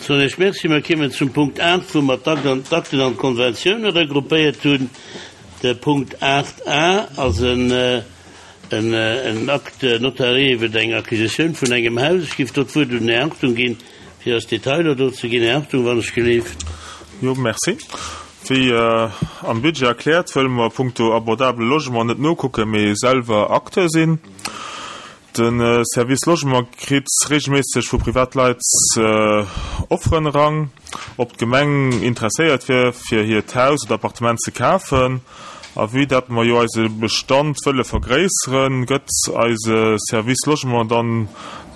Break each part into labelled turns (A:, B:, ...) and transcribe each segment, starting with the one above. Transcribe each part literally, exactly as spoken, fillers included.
A: Soen Iech Merci. Mer kiemen zum Punkt aacht, wou mer d'Akten an d'Konventioune regroupéiert hunn. De Punkt aacht a ass en Acte notarié iwwer eng Acquisitioun vun engem Haus. Ech géif do d'Wuert un den Här Hartung ginn, fir eis Detailer do ze ginn. Här Hartung, wann ech gelift.
B: Jo, merci. Wéi am Budget erkläert, wëlle mer punkto abordable Logement net nokucken, mee selwer Acteur sinn. De Service Logement kritt reegelméisseg vu Privatleit Offeren eran, ob d'Gemeng interesséiert wier, fir hiert Haus oder Appartement ze kafen. A vue dat mer jo eise Bestand wëlle vergréisseren, gëtt eise Service Logement dann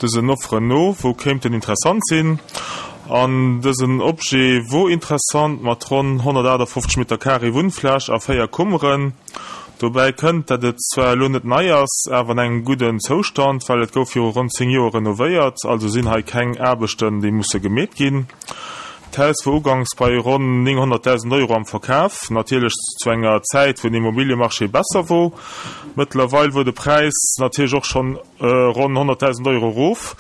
B: dësen Offeren no, wou kéinten interessant sinn. An dësen Objet wor interessant, mat ronn honnertaachtafoffzeg Meter Carré Wunnfläch a véier Kummeren. Dobäi kënnt, dat et zwar elo net nei ass, awer an engem gudden Zoustand, well et gouf viru ronn zéng Joer renovéiert, also sinn hei keng Aarbechten, déi musse gemeet ginn. D'Haus wor uganks bei ronn nénghonnertdausend Euro am Verkaf, natierlech zu enger Zäit, wou den Immobiliemarché besser wor. Mëttlerweil wor de Präis natierlech och schonn ronn honnertdausend Euro erof.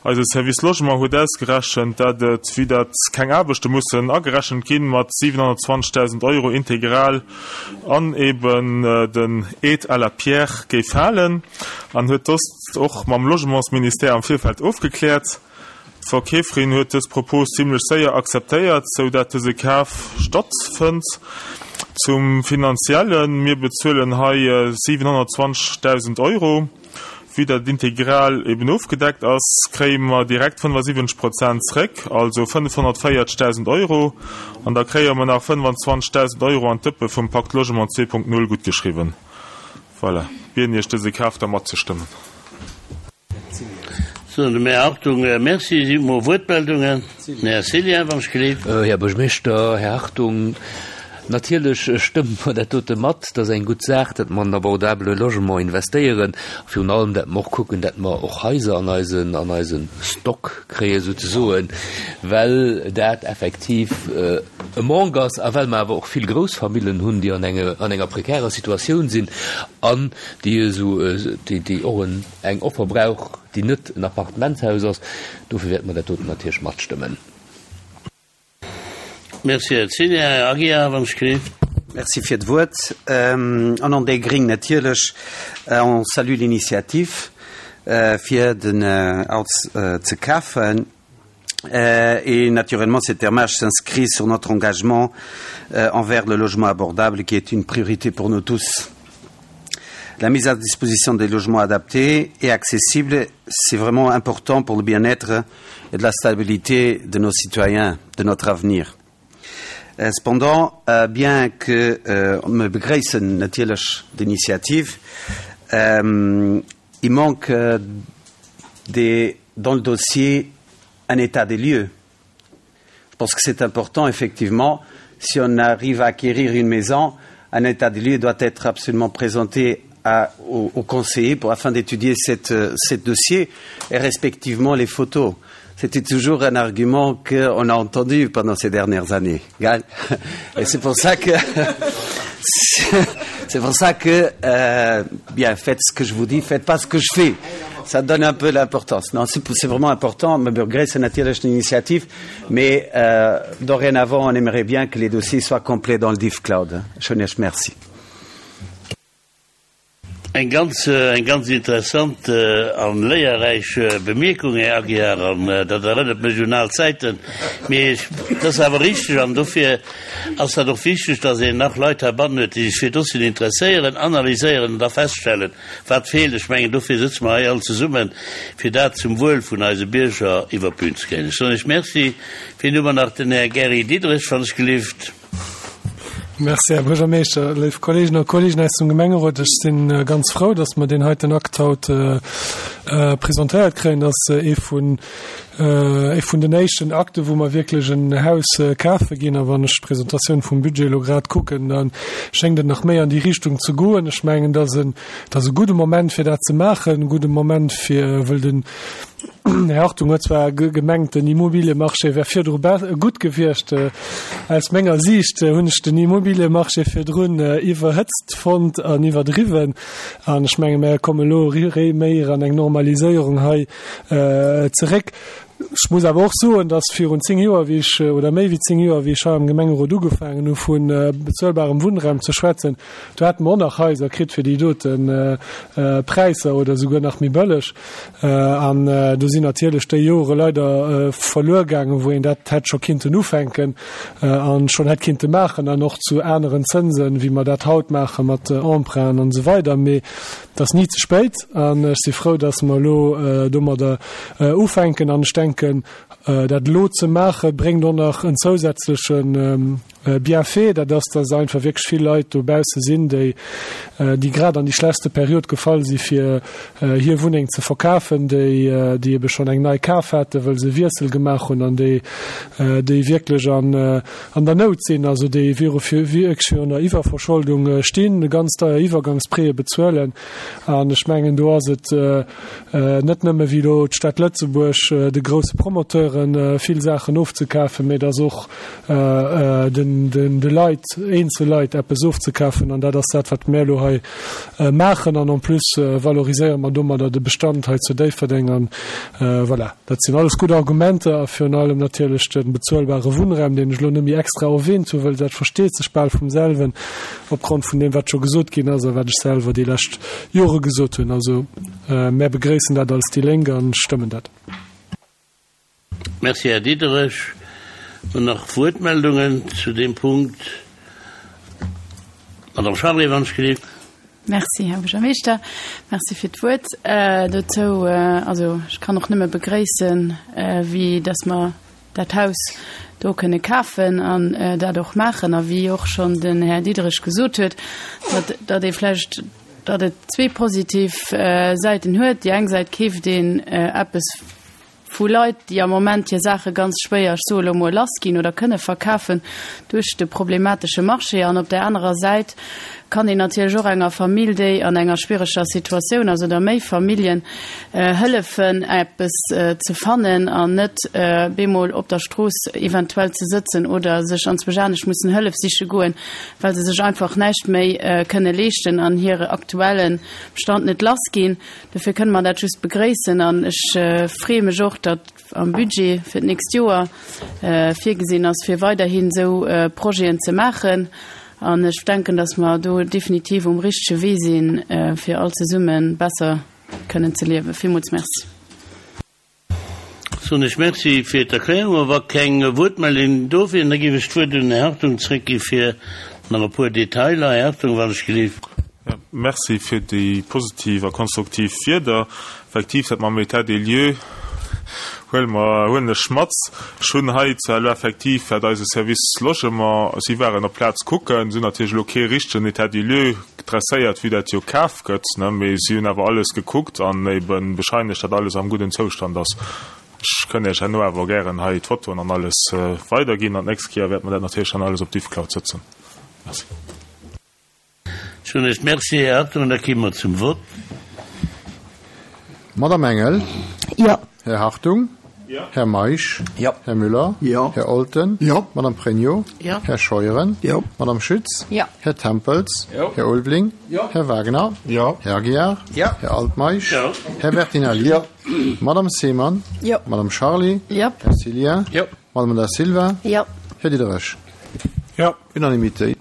B: Eise Service Logement huet ausgerechent, dat et, vue dat keng Aarbechte mussen agerechent ginn, mat siwenhonnertzwanzegdausend Euro integral an eben den Aide à la pierre géif falen, an huet dëst och mam Logementsministère am Virfeld ofgekläert. D'Verkeeferin huet dës Propos zimlech séier akzeptéiert, sou dat dëse Kaf stattfënnt. Zum Finanziellen, Mir bezuelen hei siwenhonnertzwanzegdausend Euro. Vue dat integral eben ofgedeckt ass, kréie mer direkt fënnefasiwwenzeg Prozent zréck, also fënnefhonnertvéierzegdausend Euro, an da kréie mer nach fënnefazwanzegdausend Euro an d'Dëppe vum Pakt Logement zwee Punkt null guttgeschriwwen. Voilà, bieden Iech dëse Kaf da matzestëmmen.
A: Soen dem Här Hartung Merci. Si mol Wuertmeldungen? Den Här Cillien, wann ech gelift.
C: Här Buergermeeschter, Här Hartung, natierlech stëmme mer dat dote mat. Dat ass eng gutt Saach, datt mer an abordabele Logement investéieren. Virun allem, datt mer och kucken, datt mer och Haiser an eisen, an eise Stock kréien, souzesoen, well dat effektiv e Manque ass a well mer awer och vill Groussfamillen hunn, déi an enge, an enger prekärer Situatioun sinn an déi esou, déi, déi och en, eng Offer brauch, déi net en Appartementshaus ass. Dofir wäerte mer dat doten natierlech matstëmmen.
A: Merci, Här Cillien. Här Aguiar, wann ech gelift.
D: Merci fir d'Wuert. Au nom des Gring natierlech, on salue l'initiative fir den Haus ze kafen. Et naturellement, cette démarche s'inscrit sur notre engagement envers le logement abordable qui est une priorité pour nous tous. La mise à disposition des logements adaptés et accessibles, c'est vraiment important pour le bien-être et de la stabilité de nos citoyens, de notre avenir. Cependant, bien que mer begréissen natierlech d'initiative, il manque des, dans le dossier un état des lieux. Je pense que c'est important, effectivement, si on arrive à acquérir une maison, un état des lieux doit être absolument présenté à, au, au conseiller pour, afin d'étudier cette, cette dossier et respectivement les photos. C'était toujours un argument qu'on a entendu pendant ces dernières années. Et c'est pour ça que c'est pour ça que euh, bien faites ce que je vous dis, faites pas ce que je fais. Ça donne un peu l'importance. Non, c'est vraiment important. Mer begréissen natierlech l'initiative, mais euh, dorénavant, on aimerait bien que les dossiers soient complets dans le DivCloud. Merci.
A: Eng ganz, eng ganz interessant an léierräich Bemierkung, Här Aguiar, an dat erënnert mech un al Zäiten. Mee dat ass awer richteg an dofir ass dat och wichteg, dass een nach Leit heibannen huet, déi sech fir Dossieren interesséieren, analyséieren an da feststellen, wat feelt. Ech mengen, dofir sëtze mer hei all zesummen, fir dat zum Wuel vun eise Bierger iwwer d'Bün ze kréien. Ech soen Iech Merci. Wien hu mer nach? Den Här Gary Diderich, wann ech gelift.
E: Merci, Här Buergermeeschter, léif Kolleegen a Kolleegen aus dem Gemengerot. Ech si ganz frou, dass mer deen heiten Akt haut presentéiert kréien. Dat ass ee vun, ee vun den éischten Akte, wou mer wierklech en Haus kafe ginn. A wann ech d'Presentatioun vum Budget elo grad kucken, da schéngt et nach méi an déi Richtung ze goen. Ech mengen, dat ass en, dat ass e gudde Moment, fir dat ze maachen, e gudde Moment fir, wëll den Här Hartung huet zwar gemengt, den Immobiliemarché wär virdru gutt gewiescht. Aus menger Siicht hunn ech den Immobiliemarché virdrun iwwerhëtzt fonnt an iwwerdriwwen. An ech menge mer komme lo méi an eng Normaliséierung hei zeréck. Ech muss awer och soen, dass virun zéng Joer, wéi ech, oder méi wéi zéng Joer, wéi ech hei am Gemengerot ugefaangen hu vu bezuelbarem Wunnraum ze schwätzen, do hate mer och nach Haiser kritt fir déi dote Präisser oder souguer nach méi bëlleg. An do sinn natierlech déi Jore leider verluer gaangen, wou een dat hätt scho kinnten ufänken a schonn hätt kinnte maachen an och zu aneren Zënsen, wéi mer dat haut maache mat Emprunten an esou weider. Mee et ass ni ze spéit an ech si frou, dass mer elo domadder ufänken. An ech denken, dat elo ze maachen, bréngt och nach en zousätzleche Bienfait, dat ass, dass einfach wierklech vill Leit dobausse sinn, déi, déi grad an déi schlechtste Period gefall si fir hir Wunneng ze verkafen, déi, déi ebe schonn eng nei kaf haten, wëll se e Wiessel gemaach hunn an déi, déi wierklech an, an der Nout sinn, also déi viru, wierklech virun der Iwwerverscholdung stinn, ganz deier Iwwergangsprêtë bezuelen. An ech mengen, do ass et net nëmme wéi elo d'Stad Lëtzebuerg de grousse Promoteure vill Saachen ofzekafen, mä et ass och den, den, de Leit, eenzel Leit eppes ofzekafen. An dat ass dat, wat mir elo hei maachen. An en plus valoriséiere mer domadder de Bestand hei zu Déifferdeng. An voilà, dat sinn alles gutt Argumenter a virun allem natierlech de bezuelbare Wunnraum, deen ech elo net méi extra erwähnt hu, wëll dat versteet sech bal vum selwen opgrond vun deem, wat scho gesot ginn ass a wat ech selwer déi lescht Jore gesot hunn. Also mär begréissen dat als déi Lénk a stëmmen dat.
A: Merci, Här Diderich. Hunn nach Wuertmeldungen zu deem Punkt? Madame Charlé, wann ech gelift.
F: Merci, Här Buergermeeschter. Merci fir d'Wuert dozou. Also ech kann och nëmme begréissen, wéi dass mer dat Haus do kënne kafen an dat och maachen. A wéi och schonn den Här Diderich gesot huet, datt, datt ee vläicht, datt et zwee positiv Säiten huet. Déi eng Säit keeft een eppes vu Leit, déi am Moment hir Saache ganz schwéier, ech soe lo mol, lassginn oder kënne verkafen duerch de problematesche Marché. An op där anerer Säit kann een natierlech och enger Famill, déi an enger schwiereger Situatioun ass, oder méi Familljen, hëllefen, eppes ze fannen an net bemol op der Strooss eventuell ze sëtzen oder sech anzwousch anescht mussen Hëllef siche goen, well se sech einfach näischt méi kënne leeschten an hire aktuelle Bestand net lassginn. Dofir kënne mer dat just begréissen an ech freeë mech och, datt am Budget fir d'nächst Joer virgesinn ass, fir weiderhin esou Projeten ze maachen. An ech denken, datt mer do definitiv um richtege Wee sinn, fir all zesumme besser kënnen ze liewen. Villmools Merci.
A: Soen ech Merci fir d'Erklärung. Wa keng Wuertmeldungen do wieren, da géif ech d'Wuert un den Här Hartung zréckgi fir nach e puer Detailer. Här Hartung, wann ech gelift.
B: Merci fir déi positiv a konstruktiv Wierder. Effektiv, dat mam État des lieux huele mer, huelen ech mat. Ech hunn hei zwar elo effektiv, wat eise Service Logement, si waren op d'Plaz kucken, si hunn natierlech elo kee richtegen État des lieux dresséiert, vue dat jo kaf gëtt, ne, mee si hunn awer alles gekuckt an ebe bescheinegt, datt alles am gudden Zoustand ass. Ech kënn Iech herno awer gären hei d'Fotoen an alles weiderginn an d'nächst Kéier wäerte mer dat natierlech dann alles op Diffcloud sëtzen. Merci.
A: Ech hunn Iech Merci, Här Hartung, an da komme mer zum Vott.
G: Madame Engel.
H: Jo.
G: Här Hartung.
B: Jo.
G: Här Meisch.
D: Jo.
G: Här Müller.
I: Jo.
G: Här Olten.
I: Jo.
G: Madame Pregno.
H: Jo.
G: Här Scheuren.
I: Jo.
G: Madame Schütz.
H: Jo.
G: Här Tempels.
B: Jo.
G: Här Ulveling.
B: Jo.
G: Här Wagner.
I: Jo.
G: Här Aguiar.
D: Jo.
G: Här Altmeisch.
A: Jo.
G: Här Bertinelli.
I: Jo.
G: Madame Seemann.
F: Jo.
G: Madame Charlé.
F: Jo.
G: Här Cillien.
C: Jo.
G: Madame Da Silva.
H: Jo.
G: Här Diderich.
E: Jo.
G: Unanimité.